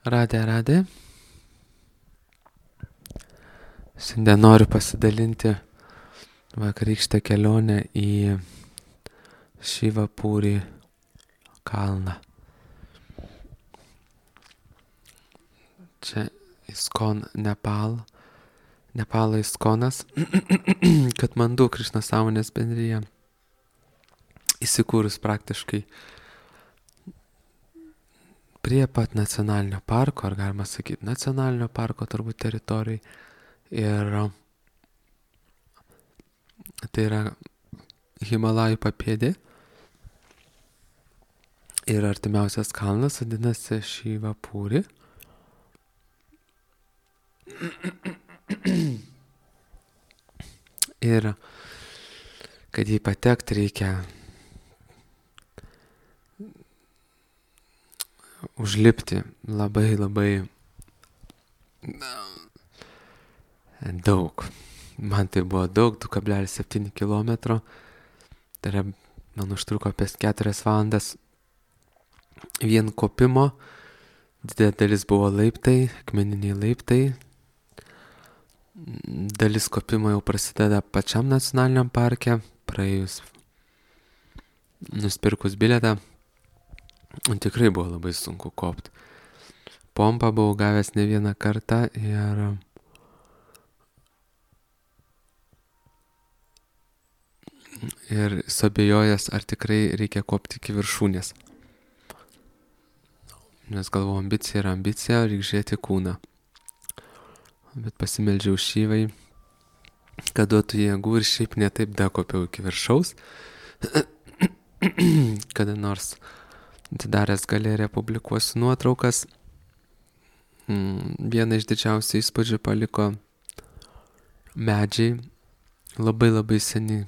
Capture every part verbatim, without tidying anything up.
Radė, radė. Šiandien noriu pasidalinti vakarykštę kelionę į Šivapūrį kalną. Čia Iskon Nepal, Nepalo Iskonas, Katmandu Krišnos sąmonės bendrija, įsikūrus praktiškai prie pat nacionalinio parko, ar galima sakyti nacionalinio parko turbūt teritorijai. Ir tai yra Himalajų papėdė. Ir artimiausias kalnas vadinasi Šivapūrį. Ir kad jį patekti reikia užlipti labai labai daug. Man tai buvo daug, du kablelis septyni kilometro. Tai yra, man užtruko apie keturias valandas vien kopimo. Didelė dalis buvo laiptai, akmeniniai laiptai. Dalis kopimo jau prasideda pačiam nacionaliniam parke, praėjus nusipirkus bilietą. Tikrai buvo labai sunku kopti. Pompą buvau gavęs ne vieną kartą ir ir suabejojęs, ar tikrai reikia kopti iki viršūnės. Nes galvoju, ambicija yra ambicija, reikia žiūrėti kūną. Bet pasimeldžiau Šivai, kad duotų jėgų ir šiaip netaip dakopiau iki viršaus. Kada nors atidaręs galeriją publikuosiu nuotraukas. Vieną iš didžiausių įspūdžių paliko medžiai, labai labai seni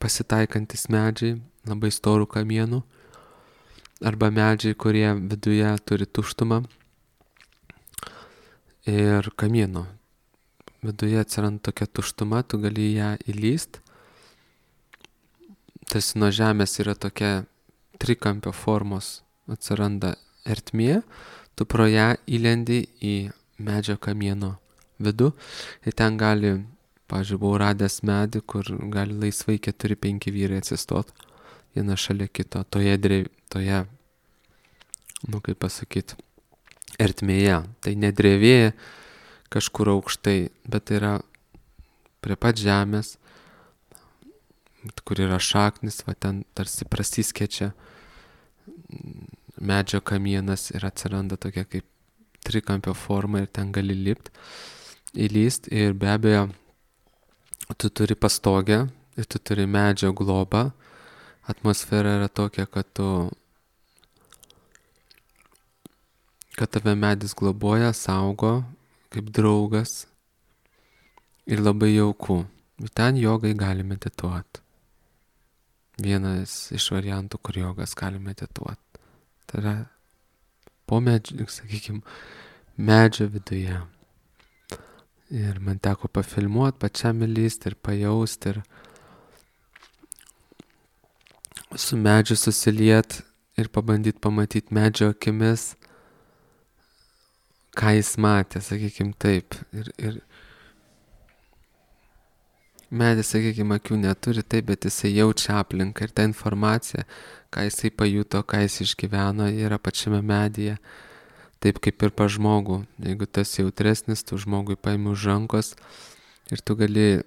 pasitaikantis medžiai, labai storų kamienų, arba medžiai, kurie viduje turi tuštumą ir kamieno. Viduje atsiranda tokia tuštuma, tu gali į ją įlyst. Tarsi nuo žemės yra tokia trikampio formos, atsiranda ertmė, tu pro ją įlendi į medžio kamieno vidų ir ten gali, pavyzdžiui, buvau radęs medį, kur gali laisvai keturi penki vyrai atsistot viena šalia kito, toje, drev... toje, nu kaip pasakyti, ertmėje. Tai ne drevė kažkur aukštai, bet tai yra prie pat žemės, kur yra šaknis, va ten tarsi prasiskečia medžio kamienas ir atsiranda tokia kaip trikampio forma ir ten gali lipt, įlyst ir be abejo tu turi pastogę ir tu turi medžio globą. Atmosfera yra tokia, kad tu kad tave medis globoja, saugo kaip draugas ir labai jauku. Ir ten jogai gali medituoti. Vienas iš variantų, kur jogas gali medituoti. Tai yra po medžio, sakykime, medžio viduje. Ir man teko pafilmuoti, pačiam įlysti ir pajausti ir su medžiu susiliet ir pabandyti pamatyti medžio akimis, ką jis matė, sakykime taip. Ir, ir medis, sakykime, akių neturi taip, bet jisai jaučia aplinką ir ta informacija, ką jisai pajuto, ką jis išgyveno, yra pačiame medyje. Taip kaip ir pa žmogų. Jeigu tas jautresnis, tu žmogui paimi už rankos ir tu gali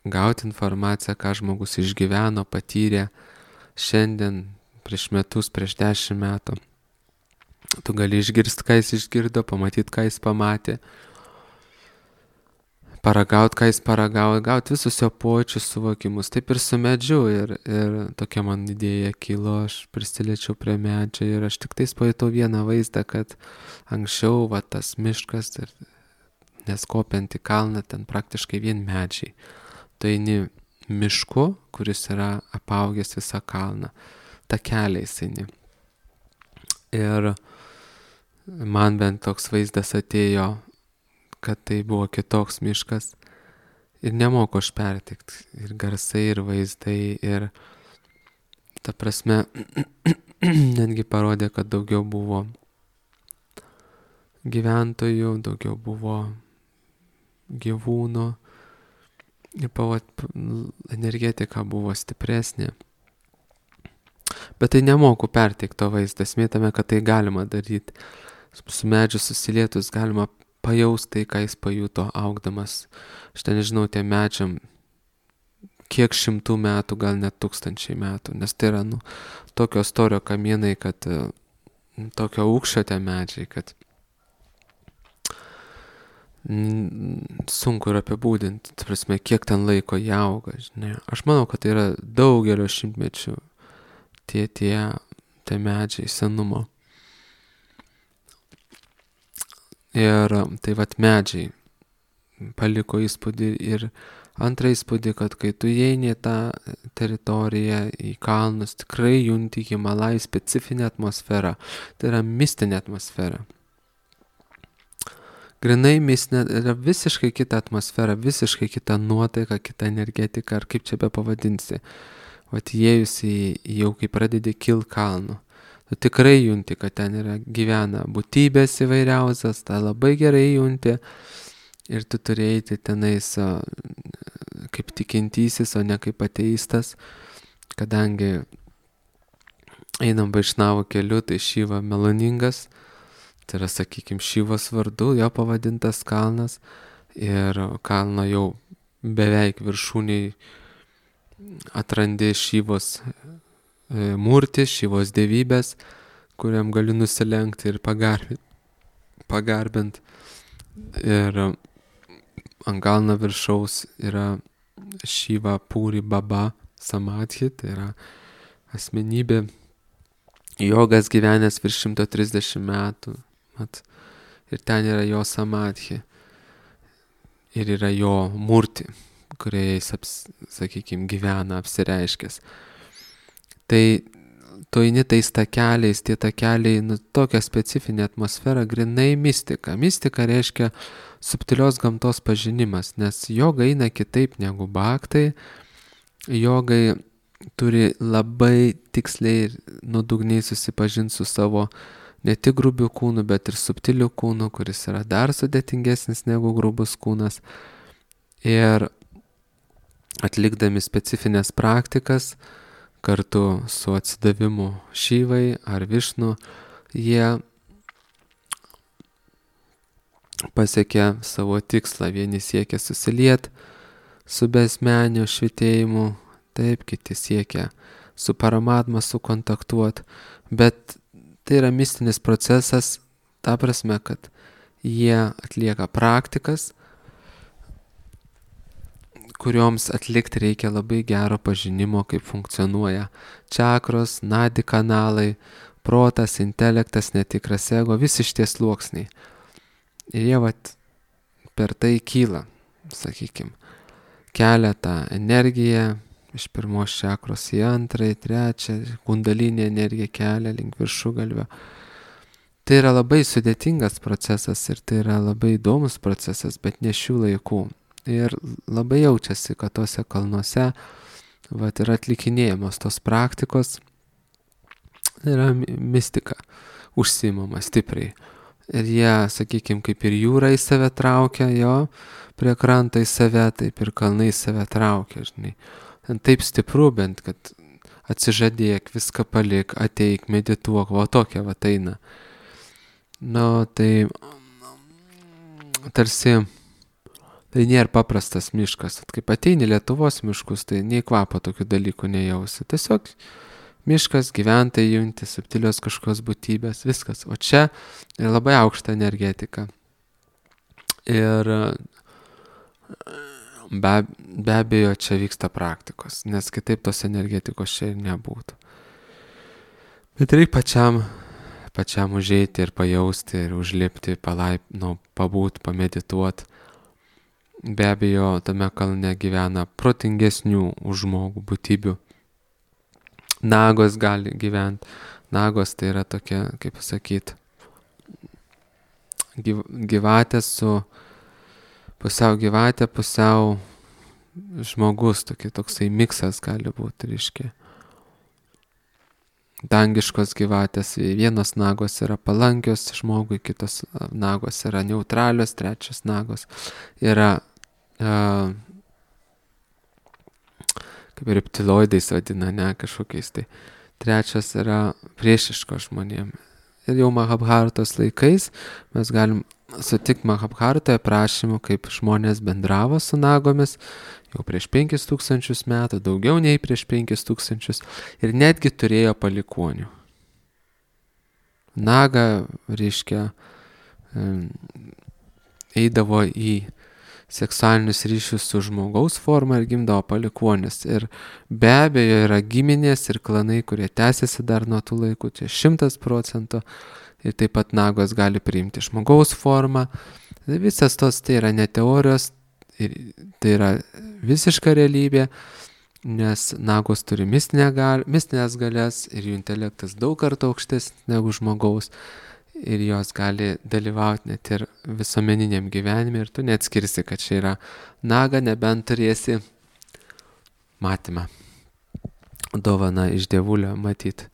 gauti informaciją, ką žmogus išgyveno, patyrė šiandien, prieš metus, prieš dešimt metų. Tu gali išgirsti, ką jis išgirdo, pamatyti, ką jis pamatė, paragauti, ką jis paragavo, gauti visus jo pojūčius, suvokimus. Taip ir su medžiu. Ir, ir tokia man idėja kilo, aš prisiliečiau prie medžio ir aš tik tais pajutau vieną vaizdą, kad anksčiau va, tas miškas, ir, nes kopiant į kalną, ten praktiškai vien medžiai. Tu eini mišku, kuris yra apaugęs visą kalną. Takeliais eini. Ir man bent toks vaizdas atėjo, kad tai buvo kitoks miškas ir nemoku aš pertikti. Ir garsai, ir vaizdai, ir ta prasme netgi parodė, kad daugiau buvo gyventojų, daugiau buvo gyvūnų, energetika buvo stipresnė. Bet tai nemoku perteikti to vaizdą, esmė tame, kad tai galima daryti. Su medžiu susilietus galima pajausti tai, ką jis pajuto augdamas. Aš ten nežinau, tie medžiam kiek šimtų metų, gal net tūkstančiai metų, nes tai yra, nu, tokio storio kamienai, kad tokio aukščio tie medžiai, kad sunku ir apibūdinti, ta prasme, kiek ten laiko jie auga, žinai. Aš manau, kad tai yra daugelio šimtmečių tie, tie, tie medžiai senumo. Ir tai vat medžiai paliko įspūdį ir antrą įspūdį, kad kai tu įeini į tą teritoriją, į kalnus, tikrai junti Himalajų specifinę atmosferą. Tai yra mistinė atmosfera. Grinai mistinė, yra visiškai kita atmosfera, visiškai kita nuotaika, kita energetika, ar kaip čia be pavadinsi. Vat įėjus į, jau kai pradedi kilt kalnų. Tu tikrai junti, kad ten yra gyvena būtybės įvairiausias, tą labai gerai junti ir tu turi eiti tenais kaip tikintysis, o ne kaip ateistas, kadangi einam Vaišnavų keliu, tai Šiva meloningas, tai yra, sakykime, Šivos vardu, jo pavadintas kalnas ir kalno jau beveik viršūniai atrandi Šivos murtį, Šivos dievybės, kuriam gali nusilenkti ir pagarbinti. pagarbint. Ir ant kalno viršaus yra Šiva Puri Baba Samadhi, tai yra asmenybė, jogas gyvenęs virš šimto trisdešimt metų. Mat, ir ten yra jo Samadhi. Ir yra jo murti, kurioje jis, aps, sakykime, gyvena, apsireiškęs. Tai tu eini tais takeliais, tie takeliai, nu, tokia specifinė atmosfera, grinai mistika. Mistika reiškia subtilios gamtos pažinimas, nes joga eina kitaip negu bhaktai. Jogai turi labai tiksliai ir nuodugniai susipažinti su savo ne tik grubių kūnų, bet ir subtilių kūnų, kuris yra dar sudėtingesnis negu grubus kūnas. Ir atlikdami specifines praktikas, kartu su atsidavimu Šivai ar Višnu, jie pasiekia savo tikslą. Vieni siekia susiliet su besmeniu švitėjimu, taip, kiti siekia su Paramatma sukontaktuot, bet tai yra mistinis procesas, ta prasme, kad jie atlieka praktikas, kurioms atlikti reikia labai gero pažinimo, kaip funkcionuoja čakros, nadi kanalai, protas, intelektas, netikras ego, visi šitie sluoksniai. Ir jie vat per tai kyla, sakykime, kelia tą energiją iš pirmos čakros į antrą, į trečią, kundalinė energija kelia link viršugalvio. Tai yra labai sudėtingas procesas ir tai yra labai įdomus procesas, bet ne šių laikų. Ir labai jaučiasi, kad tose kalnuose vat, yra atlikinėjamos tos praktikos, yra mistika užsiimama stipriai. Ir jie, sakykime, kaip ir jūra į save traukia, jo, prie krantą į save, taip ir kalnai į save traukia, žinai. Taip stipru bent, kad atsižadėk, viską palik, ateik, medituok, va tokia va eina. Nu, tai tarsi tai nėra paprastas miškas. Kaip ateini Lietuvos miškus, tai nei kvapo tokių dalykų nejausi. Tiesiog miškas, gyventojai junti, subtilios kažkokios būtybės, viskas. O čia yra labai aukšta energetika. Ir be, be abejo čia vyksta praktikos, nes kitaip tos energetikos čia ir nebūtų. Bet reikia pačiam, pačiam užeiti ir pajausti, ir užlipti, palaip, nu, pabūt, pamedituot. Be abejo, tame kalne gyvena protingesnių už žmogų būtybių. Nagos gali gyventi. Nagos tai yra tokia, kaip pasakyti, gyv, gyvatė su pusiau gyvatė, pusiau žmogus, tokia, toksai miksas gali būti, reiškia. dangiškos gyvatės, vienos nagos yra palankios žmogui, kitos nagos yra neutralios, trečios nagos yra uh, kaip reptiloidais vadina, ne, kažkokiais tai. Trečias yra priešiškos žmonėm. Ir jau Mahabharatos laikais mes galim sutikti Mahabharatoje prašymų, kaip žmonės bendravo su nagomis, jau prieš penkis tūkstančius metų, daugiau nei prieš penkis tūkstančius, ir netgi turėjo palikonių. Naga, reiškia, eidavo į seksualinius ryšius su žmogaus forma ir gimdavo palikuonis. Ir be abejo yra giminės ir klanai, kurie tęsiasi dar nuo tų laikų, čia šimtas procentų. Ir taip pat nagos gali priimti žmogaus formą. Visas tos tai yra ne teorijos, tai yra visiška realybė, nes nagos turi mistinės galias ir jų intelektas daug kartų aukštesnis negu žmogaus. Ir jos gali dalyvauti net ir visuomeniniam gyvenime ir tu neatskirsi, kad čia yra naga, nebent turėsi matymą, dovaną iš dievulio matyti.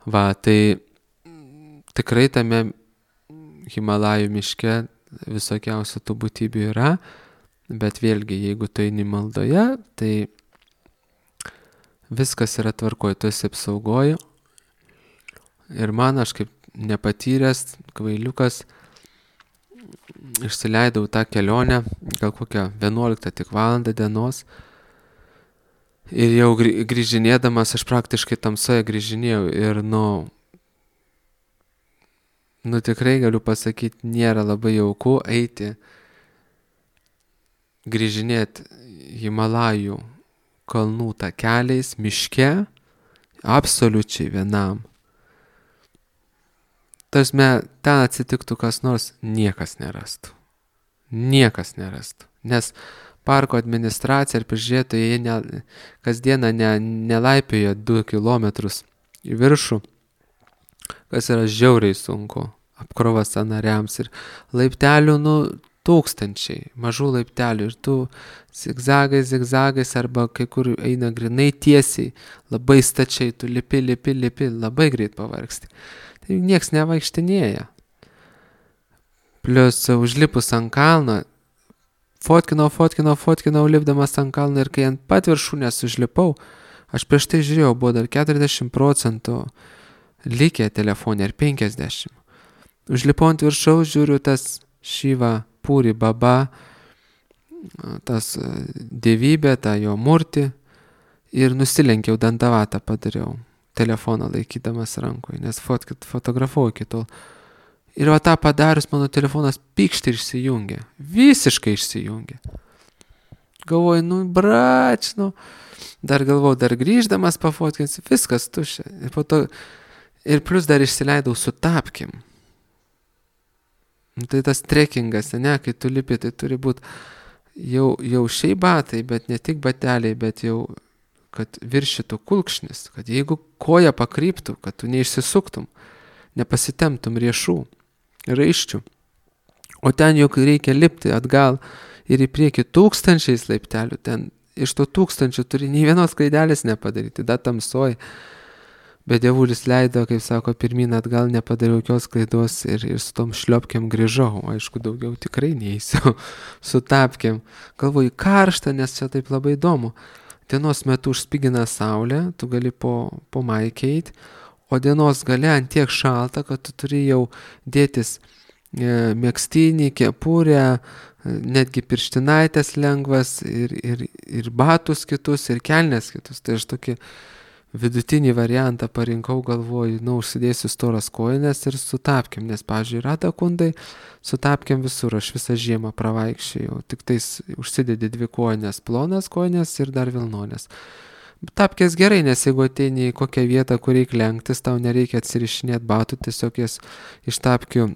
Va, tai tikrai tame Himalajų miške visokiausių tų būtybių yra, bet vėlgi, jeigu tu eini maldoje, tai viskas yra tvarkoj, tu esi apsaugoji. Ir man, aš kaip nepatyręs kvailiukas, išsileidau tą kelionę, gal kokią vienuoliktą tik valandą dienos, ir jau grįžinėdamas, aš praktiškai tamsoje grįžinėjau ir nu, nu tikrai galiu pasakyti, nėra labai jauku eiti, grįžinėti Himalajų kalnų takeliais, miške, absoliučiai vienam. Tarsi, ten atsitiktų kas nors, niekas nerastų. Niekas nerastų. Nes parko administracija ir prižiūrėtojai, jie ne, kasdieną ne, nelaipioja du kilometrus į viršų, kas yra žiauriai sunku, apkrova sąnariams ir laiptelių, nu, tūkstančiai, mažų laiptelių ir tu zigzagais, zigzagais arba kai kur eina grinai tiesiai, labai stačiai, tu lipi, lipi, lipi, labai greit pavargsti. Tai nieks nevaikštinėja. Plius užlipus ant kalno, fotkinau, fotkinau, fotkinau, lipdamas ant kalno ir kai ant pat viršūnės užlipau, aš prieš tai žiūrėjau, buvo dar keturiasdešimt procentų likę telefonė ir penkiasdešimt. Užlipau ant viršaus, žiūriu tas Šiva, Puri, Baba, tas dievybė, tą jo murtį ir nusilenkiau, dantavatą padariau. Telefoną laikydamas rankoje, nes fotkit, fotografavau iki tol. Ir va tą padarius, mano telefonas pykšt ir išsijungė. Visiškai išsijungė. Galvoju, nu, brač, nu. Dar galvoju, dar grįždamas pafotkinsiu, viskas tuščia. Ir, po to, ir plus dar išsileidau su tapkim. Tai tas trekingas, ne, kai tu lipi, tai turi būti jau, jau šiai batai, bet ne tik bateliai, bet jau kad viršytų kulkšnis, kad jeigu koja pakryptų, kad tu neišsisuktum, nepasitemtum riešų, raiščių. O ten juk reikia lipti atgal ir į priekį tūkstančiais laiptelių, ten iš to tūkstančių turi nei vienos klaidelės nepadaryti, da tamsoj. Bet dievulis leido, kaip sako, pirmyn atgal nepadariau jokios klaidos ir, ir su tom šliopkiam grįžau. Aišku, daugiau tikrai neįsiu su tapkiam. Galvoju, karšta, nes čia taip labai įdomu. Dienos metu užspigina saulė, tu gali po, po maikę eiti, o dienos gale ant tiek šalta, kad tu turi jau dėtis e, megztinį, kepurę, netgi pirštinaitės lengvas ir, ir, ir batus kitus, ir kelnes kitus. Tai aš tokį vidutinį variantą parinkau, galvoju, nu, užsidėsiu storas kojines ir su tapkiam, nes, pavyzdžiui, rada kundai, su tapkiam visur, aš visą žiemą pravaikščiojau, tik tais užsidedi dvi kojines, plonas kojines ir dar vilnonės. Tapkės gerai, nes jeigu ateini į kokią vietą, kur reikia lenktis, tau nereikia atsirišinėti batų, tiesiog jas iš tapkių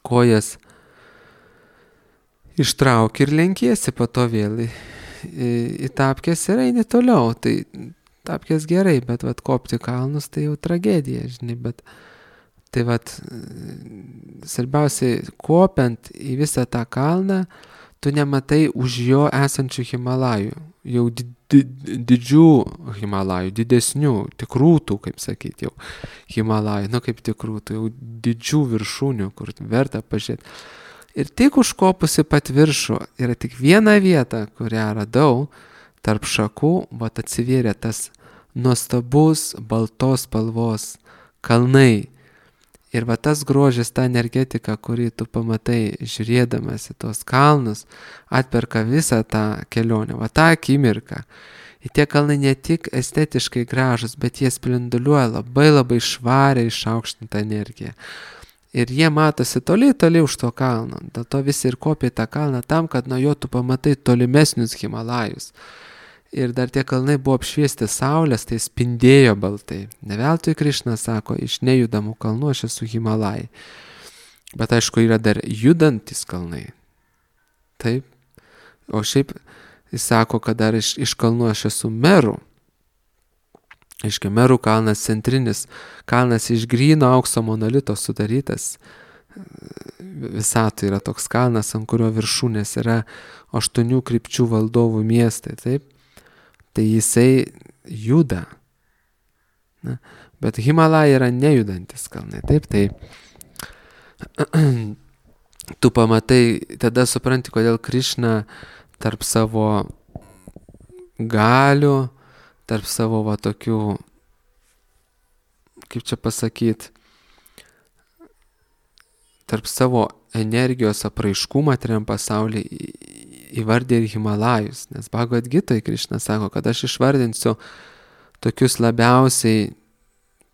kojas ištrauki ir lenkiesi po to vėl į, į, į tapkės ir eini toliau. Tai tapkės gerai, bet vat kopti kalnus tai jau tragedija, žinai, bet tai vat svarbiausiai kopiant į visą tą kalną, tu nematai už jo esančių Himalajų, jau di di didžių Himalajų, didesnių, tikrų tų, kaip sakyti, jau Himalajų, nu kaip tikrų, tų jau didžių viršūnių, kur verta pažiūrėti. Ir tik užkopusi pat viršų yra tik viena vieta, kurią radau, tarp šakų, vat atsivėrė tas nuostabus baltos spalvos kalnai. Ir va tas grožis, ta energetika, kurį tu pamatai žiūrėdamas į tos kalnus, atperka visą tą kelionę, va tą akimirką. Ir tie kalnai ne tik estetiškai gražus, bet jie spinduliuoja labai labai švariai išaukštintą energiją. Ir jie matosi toli, toli už to kalno. Dėl to visi ir kopia tą kalną tam, kad nuo jo tu pamatai tolimesnius Himalajus. Ir dar tie kalnai buvo apšviesti saulės, tai spindėjo baltai. Ne veltui Krišna sako, iš nejudamų kalnų aš esu Himalajai. Bet aišku, yra dar judantis kalnai. Taip. O šiaip jis sako, kad dar iš, iš kalnų aš esu Merų. Aiškia, Merų kalnas centrinis, kalnas iš gryno aukso monolito sudarytas. Visatoj yra toks kalnas, ant kurio viršūnės yra aštuonių krypčių valdovų miestai, taip. Tai jisai juda. Na, bet Himalajai yra nejudantis kalnai, taip, tai tu pamatai, tada supranti, kodėl Krišna tarp savo galių, tarp savo va tokių, kaip čia pasakyti, tarp savo energijos apraiškų materiam pasaulyje įvardė ir Himalajus, nes Bhagavad Gitoj Krišna sako, kad aš išvardinsiu tokius labiausiai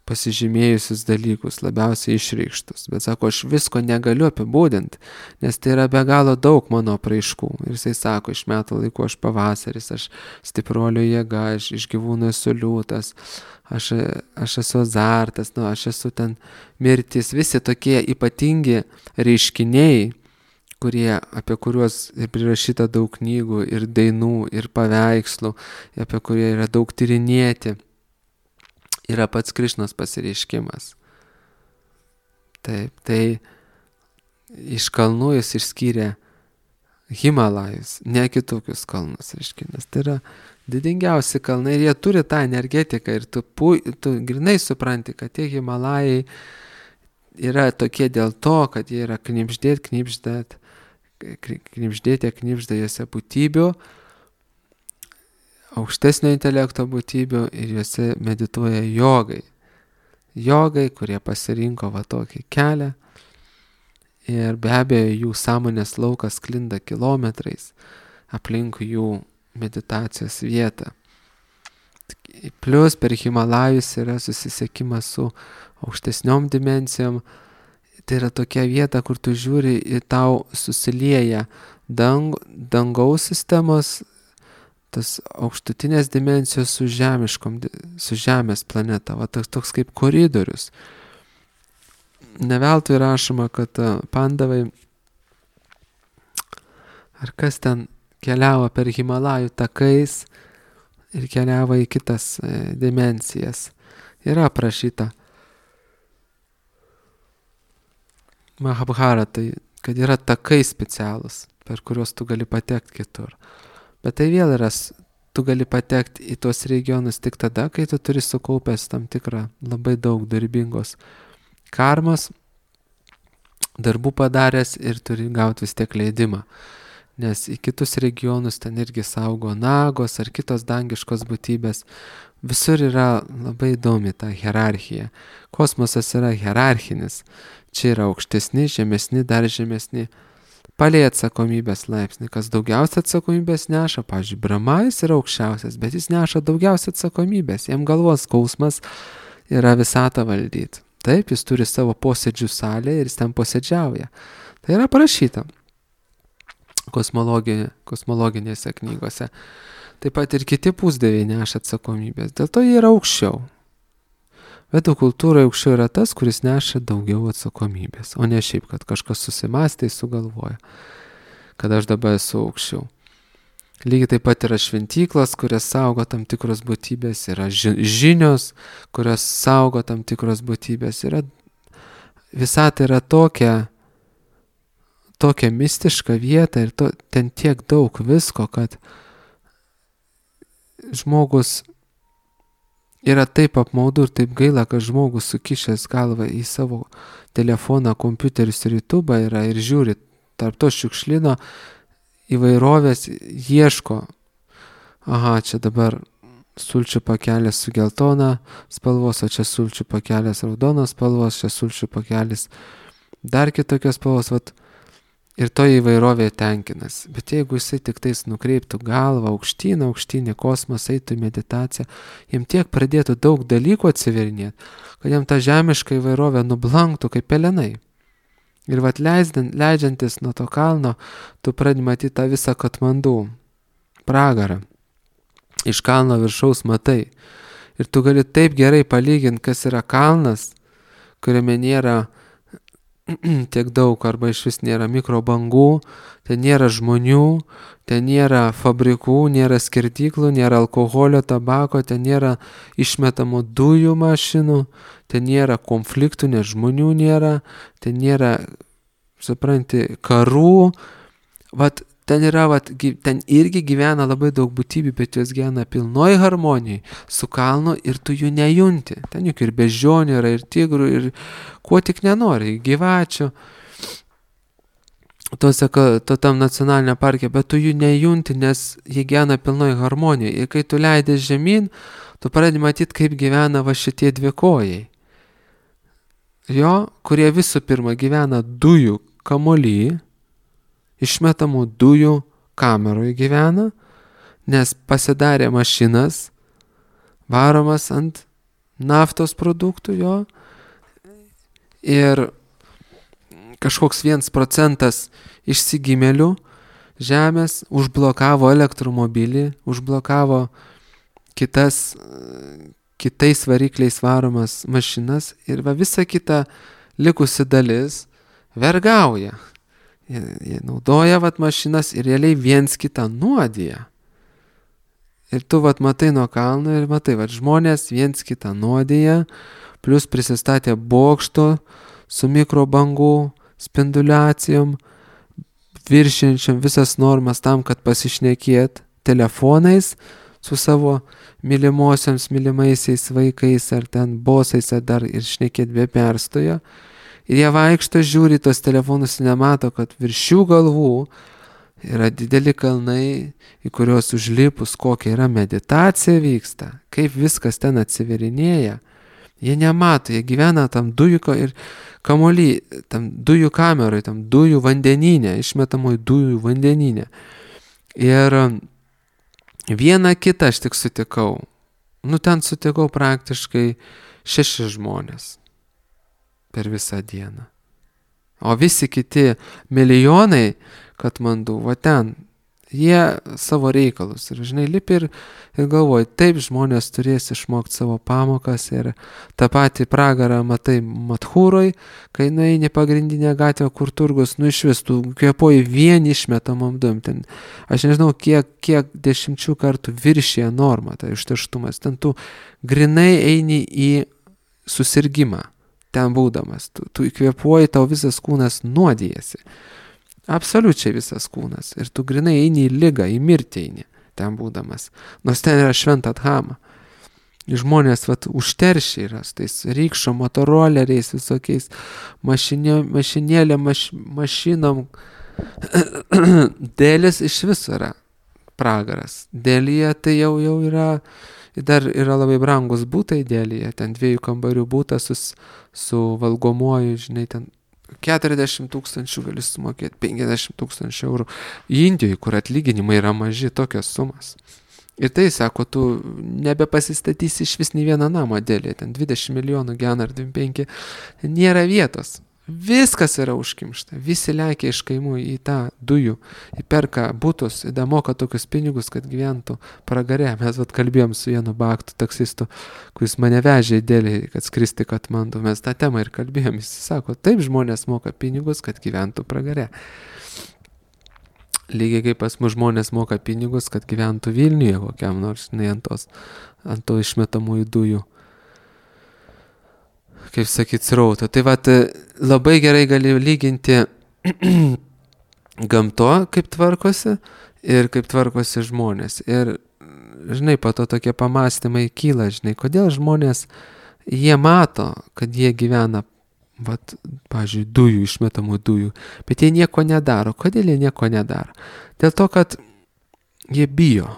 pasižymėjusius dalykus, labiausiai išreikštus, bet sako, aš visko negaliu apibūdinti, nes tai yra be galo daug mano apraiškų. Ir jisai sako, iš metų laikų aš pavasaris, aš stipruolio jėga, aš iš gyvūnų esu liūtas, aš, aš esu azartas, nu, aš esu ten mirtis, visi tokie ypatingi reiškiniai, kurie, apie kuriuos ir prirašyta daug knygų, ir dainų, ir paveikslų, apie kurie yra daug tyrinėti, yra pats Krišnos pasireiškimas. Taip, tai iš kalnų jis išskyrė Himalajus, ne kitokius kalnus, reiškia, nes tai yra didingiausi kalnai ir jie turi tą energetiką ir tu, pu, tu grinai supranti, kad tie Himalajai yra tokie dėl to, kad jie yra knibždėt, knibždėt, knibždėtė, knibžda juose būtybių, aukštesnio intelekto būtybių ir juose medituoja jogai. Jogai, kurie pasirinko va tokį kelią ir be abejo jų sąmonės laukas sklinda kilometrais aplink jų meditacijos vietą. Plius per Himalajus yra susisiekimas su aukštesniom dimensijom. Tai yra tokia vieta, kur tu žiūri ir tau susilieja dang, dangaus sistemos, tas aukštutinės dimensijos su žemiškom, su žemės planeta, va toks, toks kaip koridorius. Neveltui rašoma, kad pandavai, ar kas ten keliavo per Himalajų takais ir keliavo į kitas e, dimensijas. Yra aprašyta Mahabharatai, kad yra takai specialūs, per kuriuos tu gali patekti kitur. Bet tai vėl yra, tu gali patekti į tuos regionus tik tada, kai tu turi sukaupęs tam tikrą labai daug darbingos karmos, darbų padaręs ir turi gauti vis tiek leidimą. Nes į kitus regionus ten irgi saugo nagos ar kitos dangiškos būtybės. Visur yra labai įdomi ta hierarchija. Kosmosas yra hierarchinis. Čia yra aukštesni, žemesni, dar žemesni. Palei atsakomybės laipsnį, kas daugiausia atsakomybės neša, pavyzdžiui, Brahma jis yra aukščiausias, bet jis neša daugiausia atsakomybės, jam galvos skausmas yra visatą valdyti. Taip, jis turi savo posėdžių salę ir jis ten posėdžiauja. Tai yra parašyta kosmologi, kosmologinėse knygose. Taip pat ir kiti pusdieviai neša atsakomybės, dėl to jie yra aukščiau. Vedų kultūroje aukščiau yra tas, kuris neša daugiau atsakomybės, o ne šiaip, kad kažkas susimąstė, sugalvoja, kad aš dabar esu aukščiau. Lygiai taip pat yra šventyklos, kurias saugo tam tikros būtybės, yra žinios, kurias saugo tam tikros būtybės. Yra, visata yra tokia, tokia mistiška vieta ir to, ten tiek daug visko, kad žmogus yra taip apmaudu ir taip gaila, kad žmogus sukišęs galvą į savo telefoną, kompiuterius ir YouTube'ą yra ir žiūri tarp to šiukšlino įvairovės, ieško, aha, čia dabar sulčių pakelis su geltona spalvos, o čia sulčių pakelis raudonos spalvos, čia sulčių pakelis dar kitokios spalvos, vat, ir to įvairovė tenkinas. Bet jeigu jisai tik tais nukreiptų galvą aukštyn, aukštyn į kosmosą, eitų į meditaciją, jam tiek pradėtų daug dalykų atsiverinėti, kad jam ta žemiška įvairovė nublanktų kaip pelenai. Ir vat leisdant, leidžiantis nuo to kalno, tu pradedi matyti tą visą Katmandų pragarą. Iš kalno viršaus matai. Ir tu gali taip gerai palyginti, kas yra kalnas, kuriame nėra tiek daug, arba iš vis nėra mikrobangų, ten nėra žmonių, ten nėra fabrikų, nėra skirtyklų, nėra alkoholio, tabako, ten nėra išmetamų dujų mašinų, ten nėra konfliktų, nes žmonių nėra, ten nėra, supranti, karų. Vat ten yra, vat, ten irgi gyvena labai daug būtybių, bet jos gyvena pilnoj harmonijai su kalnu ir tu jų nejunti. Ten juk ir beždžionių yra, ir tigrų, ir kuo tik nenori, gyvačių, tose, to tam nacionalinė parke, bet tu jų nejunti, nes jie gyvena pilnoj harmonijai. Ir kai tu leidės žemyn, tu pradedi matyti, kaip gyvena va šitie dvikojai. Jo, kurie visų pirma gyvena dujų kamuoly, išmetamų dujų kameroje gyvena, nes pasidarė mašinas, varomas ant naftos produktų jo, ir kažkoks vienas procentas išsigimėlių žemės užblokavo elektromobilį, užblokavo kitas, kitais varikliais varomas mašinas ir va visa kita likusi dalis vergauja. Jie, jie naudoja vat mašinas ir realiai viens kitą nuodija. Ir tu vat matai nuo kalno ir matai, vat žmonės viens kitą nuodija, plus prisistatė bokšto su mikrobangų spinduliacijom, viršiančiam visas normas tam, kad pasišnekėt telefonais su savo mylimosiams, mylimaisiais vaikais ar ten bosais ar dar ir šnekėt be perstojo. Ir jie vaikšto, žiūri tos telefonus ir nemato, kad virš jų galvų yra dideli kalnai, į kuriuos užlipus kokia yra meditacija vyksta, kaip viskas ten atsiverinėja. Jie nemato, jie gyvena tam dujų ir kamuoly, tam dujų kameroje, tam dujų vandenyne, išmetamoj dujų vandenyne. Ir vieną kitą aš tik sutikau. Nu, ten sutikau praktiškai šeši žmonės per visą dieną. O visi kiti milijonai Katmandų, va ten, jie savo reikalus. Ir žinai, lipi ir, ir galvoji, taip žmonės turės išmokti savo pamokas ir tą patį pragarą matai Madhūroj, kai nueini pagrindinę gatvę, kur turgus, nu iš vis, tu kvėpuoji vien išmetamom dujom. Ten, aš nežinau, kiek, kiek dešimčių kartų viršyje normą, tai užterštumas. Ten tu grinai eini į susirgimą, ten būdamas. Tu, tu įkvėpuoji, tau visas kūnas nuodijasi. Absoliučiai visas kūnas. Ir tu grinai eini į ligą, į mirtį eini, ten būdamas. Nors ten yra šventa dhama. Žmonės vat užteršia yra su tais rykščio motoroleriais, visokiais mašinė, mašinėlėm, maš, mašinom. Dėlis iš viso yra pragaras. Dėlyje tai jau, jau yra, dar yra labai brangus būtai Dėlyje. Ten dviejų kambarių būtas su, su valgomuoju, žinai, ten keturiasdešimt tūkstančių gali sumokėti, penkiasdešimt tūkstančių eurų. Indijoje, kur atlyginimai yra maži, tokios sumas. Ir tai, sako, tu nebepasistatysi iš vis nei vieną namą Dėlyje, ten dvidešimt milijonų gyvena ar dvidešimt penki, nėra vietos. Viskas yra užkimšta. Visi lekia iš kaimų į tą dujų, įperka butus, ir moka tokius pinigus, kad gyventų pragare. Mes vat kalbėjom su vienu baktų taksistu, kuris mane vežė į Delį, kad skristi Katmandu. Mes tą temą ir kalbėjom. Jis sako, taip žmonės moka pinigus, kad gyventų pragare. Lygiai kaip pas mus žmonės moka pinigus, kad gyventų Vilniuje kokiam nors, ne ant tos, ant to išmetamųjų dujų. Kaip sakyt, srauto. Tai vat labai gerai gali lyginti gamto, kaip tvarkosi ir kaip tvarkosi žmonės. Ir, žinai, po to tokie pamastymai kyla, žinai, kodėl žmonės, jie mato, kad jie gyvena, vat, pavyzdžiui, dujų, išmetamų dujų, bet jie nieko nedaro. Kodėl jie nieko nedaro? Dėl to, kad jie bijo.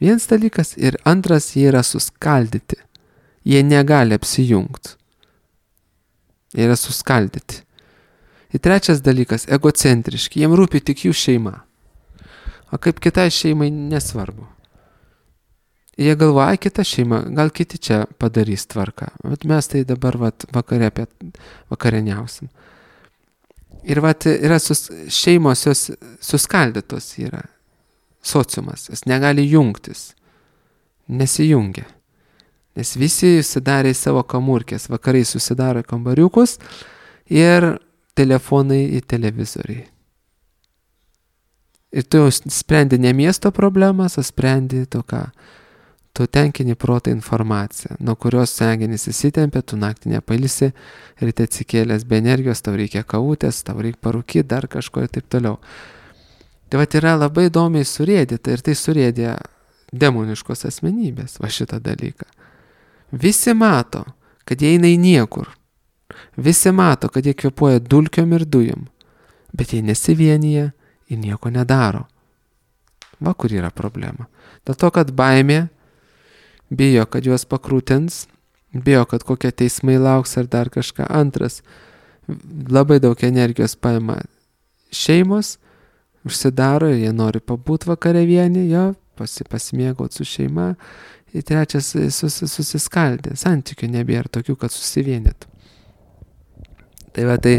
Vienas dalykas ir antras, jie yra suskaldyti. Jie negali apsijungti. Jie yra suskaldyti. Ir trečias dalykas, egocentriški, jiem rūpi tik jų šeima. O kaip kitai šeimai nesvarbu. Jie galvoja, kita šeima, gal kiti čia padarys tvarką. Bet mes tai dabar vat, vakare apie vakarieniausim. Ir vat, yra sus, šeimos jos suskaldytos yra. Sociumas, jis negali jungtis. Nesijungia. Nes visi susidarė į savo kamurkės. Vakarai susidaro kambariukus ir telefonai į televizoriai. Ir tu jau sprendi ne miesto problemas, o sprendi to ką. Tu tenkini protą informaciją, nuo kurios smegenys įsitempia, tu naktį nepailsi, ryte atsikėlęs be energijos, tau reikia kavutės, tau reikia parūkyti, dar kažko ir taip toliau. Tai vat yra labai įdomiai surėdyta ir tai surėdė demoniškos asmenybės, va šitą dalyką. Visi mato, kad jie eina į niekur. Visi mato, kad jie kvėpuoja dulkiom ir dujom, bet jie nesivienyje ir nieko nedaro. Va kur yra problema. Dėl to, kad baimė bijo, kad juos pakrūtins, bijo, kad kokie teismai lauks ar dar kažką. Antras, labai daug energijos paima šeimos, užsidaro ir jie nori pabūt vakare vieni, jo, pasi, pasimėgauti su šeima. Ir trečias, sus, susiskaldė, santykių nebėra tokių, kad susivienytų. Tai va, tai,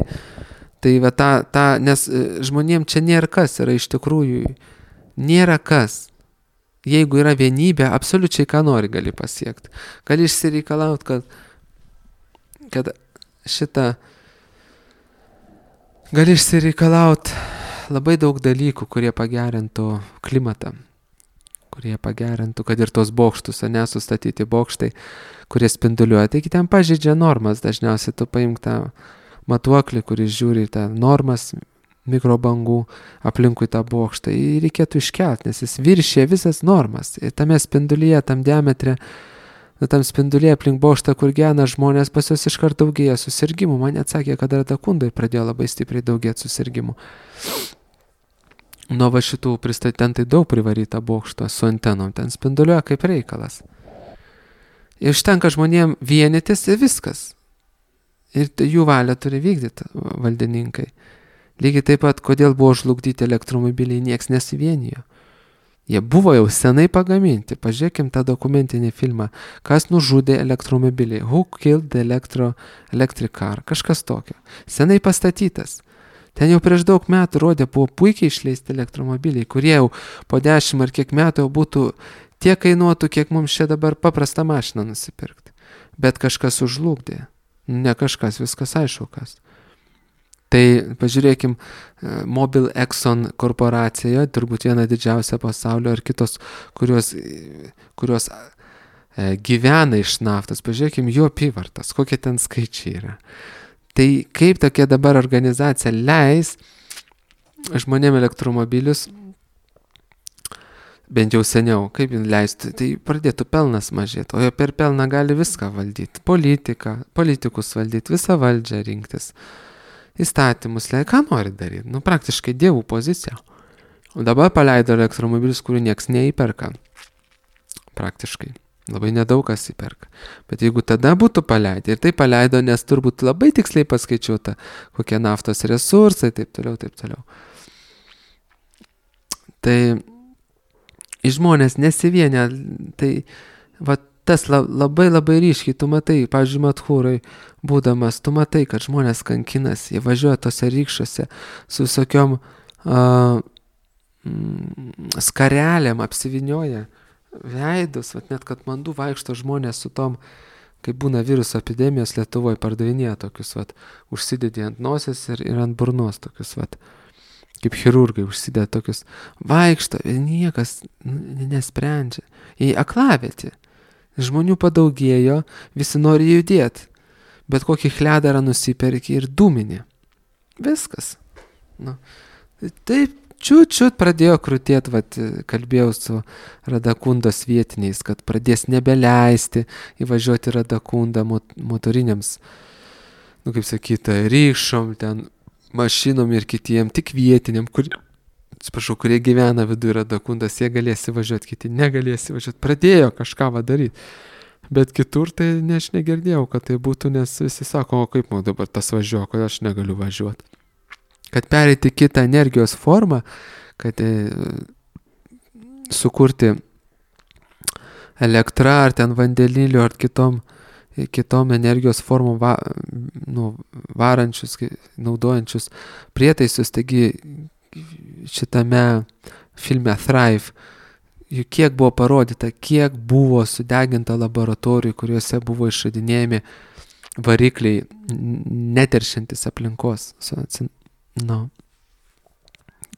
tai va ta, ta, nes žmonėm čia nėra kas, yra iš tikrųjų, nėra kas. Jeigu yra vienybė, absoliučiai ką nori gali pasiekti. Gali išsireikalauti, kad, kad šitą, gali išsireikalauti labai daug dalykų, kurie pagerintų klimatą, kurie pagerintų, kad ir tos bokštus, nesustatyti bokštai, kurie spinduliuoja. Taigi ten pažeidžia normas, dažniausiai tu paimk tą matuoklį, kuris žiūri tą normas mikrobangų aplinkui tą bokštą. Jį reikėtų iškelt, nes jis viršė visas normas. Ir tame spindulyje, tam diametre, tam spindulyje aplink bokštą, kur gyvena žmonės, pas jos iškart daugėja susirgymų. Man atsakė, kad Radakundai pradėjo labai stipriai daugėti susirgymų. Nuo va šitų pristatentai daug privaryta bokšto su antenom, ten spinduliuoja kaip reikalas. Ir užtenka žmonėm vienytis ir viskas. Ir jų valią turi vykdyti valdininkai. Lygiai taip pat, kodėl buvo žlugdyti elektromobiliai, nieks nesivienijo. Jie buvo jau senai pagaminti. Pažiūrėkim tą dokumentinį filmą. Kas nužudė elektromobiliai? Who killed the electro, electric car? Kažkas tokio. Senai pastatytas. Ten jau prieš daug metų rodė, buvo puikiai išleisti elektromobiliai, kurie jau po dešimt ar kiek metų jau būtų tiek kainuotų, kiek mums čia dabar paprastą mašiną nusipirkti. Bet kažkas užlugdė. Ne kažkas, viskas aišku kas. Tai pažiūrėkim, Mobil Exxon korporacija, turbūt viena didžiausia pasaulio, ar kitos, kurios, kurios e, gyvena iš naftos. Pažiūrėkim, jų apyvartas, kokie ten skaičiai yra. Tai kaip tokia dabar organizacija leis žmonėm elektromobilius, bent jau seniau, kaip jin leistų, tai pradėtų pelnas mažėti, o jo per pelną gali viską valdyti, politiką, politikus valdyti, visą valdžią rinktis, įstatymus, ką nori daryti, nu praktiškai dievų pozicija. O dabar paleido elektromobilius, kurių nieks neįperka, praktiškai, labai nedaug kas įperka. Bet jeigu tada būtų paleidę, ir tai paleido, nes turbūt labai tiksliai paskaičiuota, kokie naftos resursai, taip toliau, taip toliau. Tai žmonės nesivienė, tai va, tas labai labai ryškiai, tu matai, pavyzdžiui, Madhūrai būdamas, tu matai, kad žmonės kankinasi, jie važiuoja tose rykščiuose su visokiom uh, skarelėm apsivinioja veidus, vat, net kad mandų vaikšto žmonės su tom, kai būna viruso epidemijos Lietuvoje, pardavinėja tokius, vat, užsidėdė ant nosies ir, ir ant burnos tokius, vat, kaip chirurgai užsideda tokius, vaikšto, niekas nesprendžia. Į aklavietį. Žmonių padaugėjo, visi nori judėti, bet kokį chledarą nusiperki ir dūminį. Viskas. Nu, taip, čiut-čiut pradėjo krūtėti, vat, kalbėjau su Radakundos vietiniais, kad pradės nebeleisti įvažiuoti Radakundą mot- motoriniams, nu kaip sakyta, rykšom, ten mašinom ir kitiem, tik vietiniam, kur, atsiprašau, kurie gyvena viduje Radakundas, jie galės įvažiuoti, kiti negalės įvažiuoti. Pradėjo kažką va daryti. Bet kitur tai ne, aš negirdėjau, kad tai būtų, nes visi sako, o kaip man dabar tas važiuoja, kodėl aš negaliu važiuoti. Kad pereiti kitą energijos formą, kad e, sukurti elektrą ar ten vandeniliu ar kitom, kitom energijos formom va, nu, varančius, naudojančius prietaisus. Taigi šitame filme Thrive, juk kiek buvo parodyta, kiek buvo sudeginta laboratorijų, kuriuose buvo išradinėjami varikliai neteršiantis aplinkos. Nu.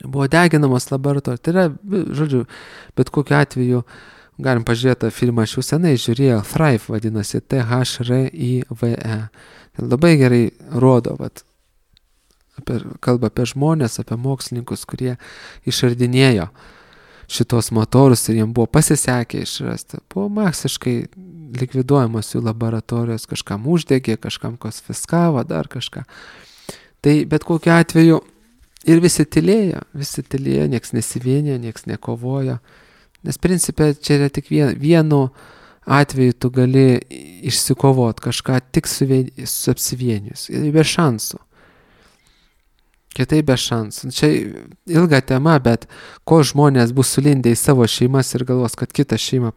Buvo deginamos laboratorijos. Tai yra, žodžiu, bet kokiu atveju galim pažiūrėti tą filmą, aš jau senai žiūrėjau, Thrive vadinasi, T H R I V E. Labai gerai rodo, vat, apie, kalba apie žmonės, apie mokslininkus, kurie išradinėjo šitos motorus ir jiems buvo pasisekę išrasti. Buvo masiškai likviduojamos jų laboratorijos, kažkam uždegė, kažkam konfiskavo, dar kažką. Tai bet kokiu atveju ir visi tylėjo, visi tylėjo, nieks nesivienė, nieks nekovojo. Nes principė čia yra tik vien, vienu atveju tu gali išsikovot kažką tik su, su apsivienius. Ir be šansų. Kitai be šansų. Čia ilga tema, bet ko žmonės bus sulindę į savo šeimas ir galvos, kad kita šeima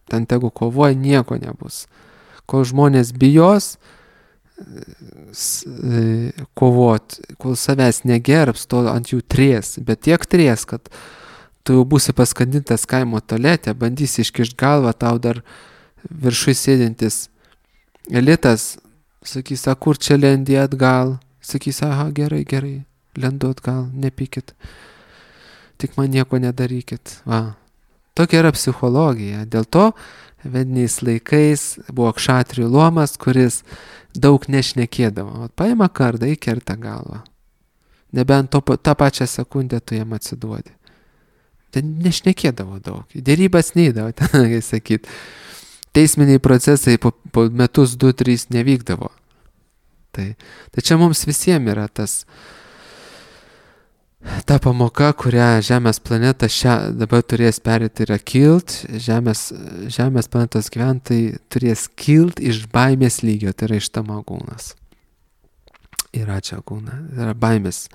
ten tegu kovoja, nieko nebus. Kol žmonės bijos kovot, kol savęs negerbs, to ant jų tries, bet tiek tries, kad tu jau būsi paskandintas kaimo tualete, bandysi iškišt galvą, tau dar viršui sėdintis elitas, sakys, a kur čia lendi atgal, sakys, aha, gerai, gerai, lendu atgal, nepykit, tik man nieko nedarykit. Va. Tokia yra psichologija. Dėl to vediniais laikais buvo kšatrijų luomas, kuris daug nešnekėdavo. Paima kardą, įkerta galvą. Nebent to, tą pačią sekundę tu jam atsiduodi. Ten nešnekėdavo daug. Dėrybas neįdavo, ten, kaip sakyt. Teisminiai procesai po, po metus, du, trys nevykdavo. Tai, tai čia mums visiems yra tas ta pamoka, kurią Žemės planeta šią dabar turės perėti, yra kilt. Žemės, žemės planetos gyventojai turės kilt iš baimės lygio, tai yra iš tamagūnas. Yra čia gūna, yra baimės.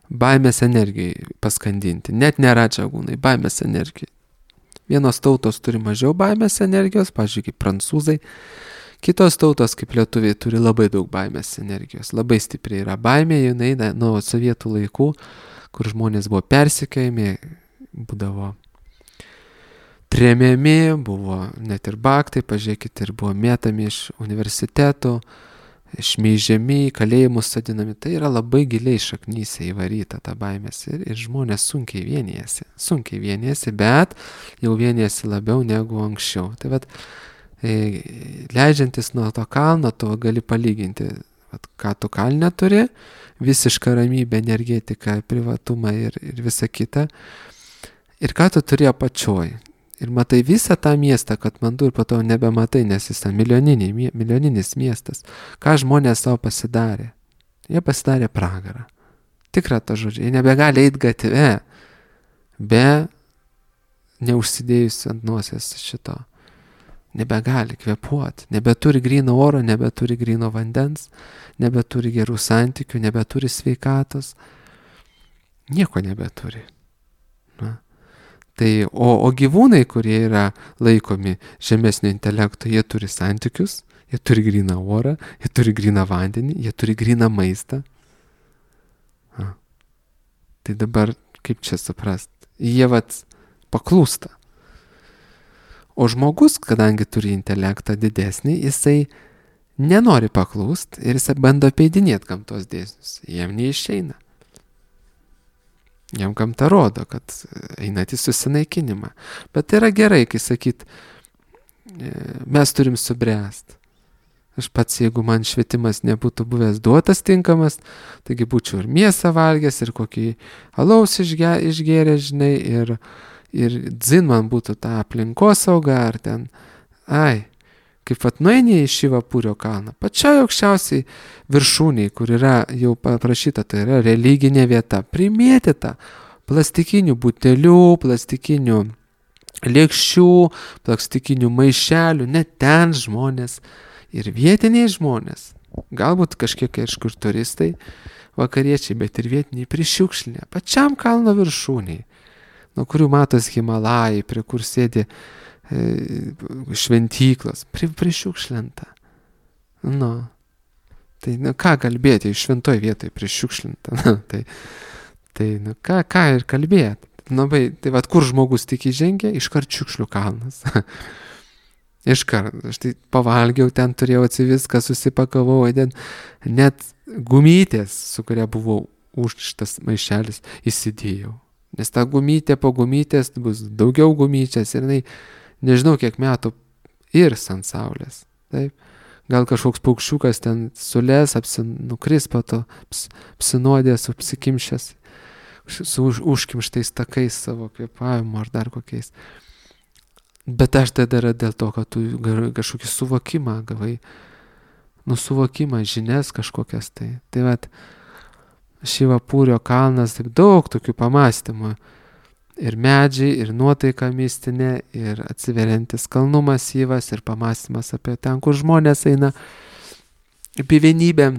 Baimės energijai paskandinti. Net nėra čia gūnai, baimės energijai. Vienos tautos turi mažiau baimės energijos, pavyzdžiui, kaip prancūzai. Kitos tautos, kaip lietuviai, turi labai daug baimės energijos. Labai stipriai yra baimė, jinai nuo sovietų laikų, kur žmonės buvo persekiojami, būdavo tremiami, buvo net ir baktai, pažiūrėkit, ir buvo mėtami iš universitetų, šmeižiami, kalėjimus sadinami. Tai yra labai giliai šaknyse įvaryta ta baimės ir, ir žmonės sunkiai vienijasi, sunkiai vienijasi, bet jau vienijasi labiau negu anksčiau. Tai vat, e, leidžiantis nuo to kalno, tu gali palyginti, vat, ką tu kalne turi, visišką ramybę, energetiką, privatumą ir, ir visą kitą. Ir ką tu turi apačioj. Ir matai visą tą miestą, kad mandu ir po to nebematai, nes jis ten milijoninis miestas. Ką žmonės savo pasidarė? Jie pasidarė pragarą. Tikra to žodžiu. Jie nebegali eiti gatve, be neužsidėjusi ant nosies šito. Nebegali kvėpuoti, nebeturi gryno oro, nebeturi gryno vandens, nebeturi gerų santykių, nebeturi sveikatos, nieko nebeturi. Na. Tai, o, o gyvūnai, kurie yra laikomi žemesnio intelekto, jie turi santykius, jie turi gryną orą, jie turi gryną vandenį, jie turi gryną maistą. Na. Tai dabar kaip čia suprast? Jie vat paklūsta. O žmogus, kadangi turi intelektą didesnį, jisai nenori paklūst ir jisai bando apeidinėti gamtos dėsnius. Jam neišeina. Jam gamta rodo, kad einat į susinaikinimą. Bet tai yra gerai, kai sakyt, mes turim subręst. Aš pats, jeigu man švietimas nebūtų buvęs duotas tinkamas, taigi būčiau ir mėsą valgęs, ir kokį alaus išge, išgėręs, žinai, ir, ir dzin man būtų ta aplinkosauga, ar ten, ai, kaip vat nueini į Šivapūrio kalną, pačiai aukščiausiai viršūniai, kur yra jau paprašyta, tai yra religinė vieta, primėtyta plastikinių butelių, plastikinių lėkščių, plastikinių maišelių, net ten žmonės, ir vietiniai žmonės, galbūt kažkiek kažkur turistai, vakariečiai, bet ir vietiniai prišiukšlinę, pačiam kalno viršūniai, nuo kurių matos Himalajai, prie kur sėdi e, šventyklos, pri, prišiukšlinta. Nu, tai nu, ką kalbėti, šventoj vietoj prišiukšlinta, nu, tai, tai nu, ką, ką ir kalbėti. Nu, bai, tai vat kur žmogus tik įžengia, iškart šiukšlių kalnas. Iškart, aš tai pavalgiau, ten turėjau atsiviską, susipakavau, ten net gumytės, su kuria buvau užšitas maišelis, įsidėjau. Nes ta gumytė po gumytės bus daugiau gumyčias ir jinai, nežinau kiek metų, irs ant saulės. Taip. Gal kažkoks paukščiukas ten sulės, apsinukris po to, ps, apsinuodės, apsikimšęs, su už, užkimštais takais savo kvėpavimu ar dar kokiais. Bet aš tai darau dėl to, kad tu kažkokį suvokimą gavai, nu suvokimą, žinias kažkokias tai. Tai vat, Šivapūrio kalnas, taip daug tokių pamastymų. Ir medžiai, ir nuotaika mistinė, ir atsiveriantis kalnų masyvas, ir pamastymas apie ten, kur žmonės eina, apie vienybę,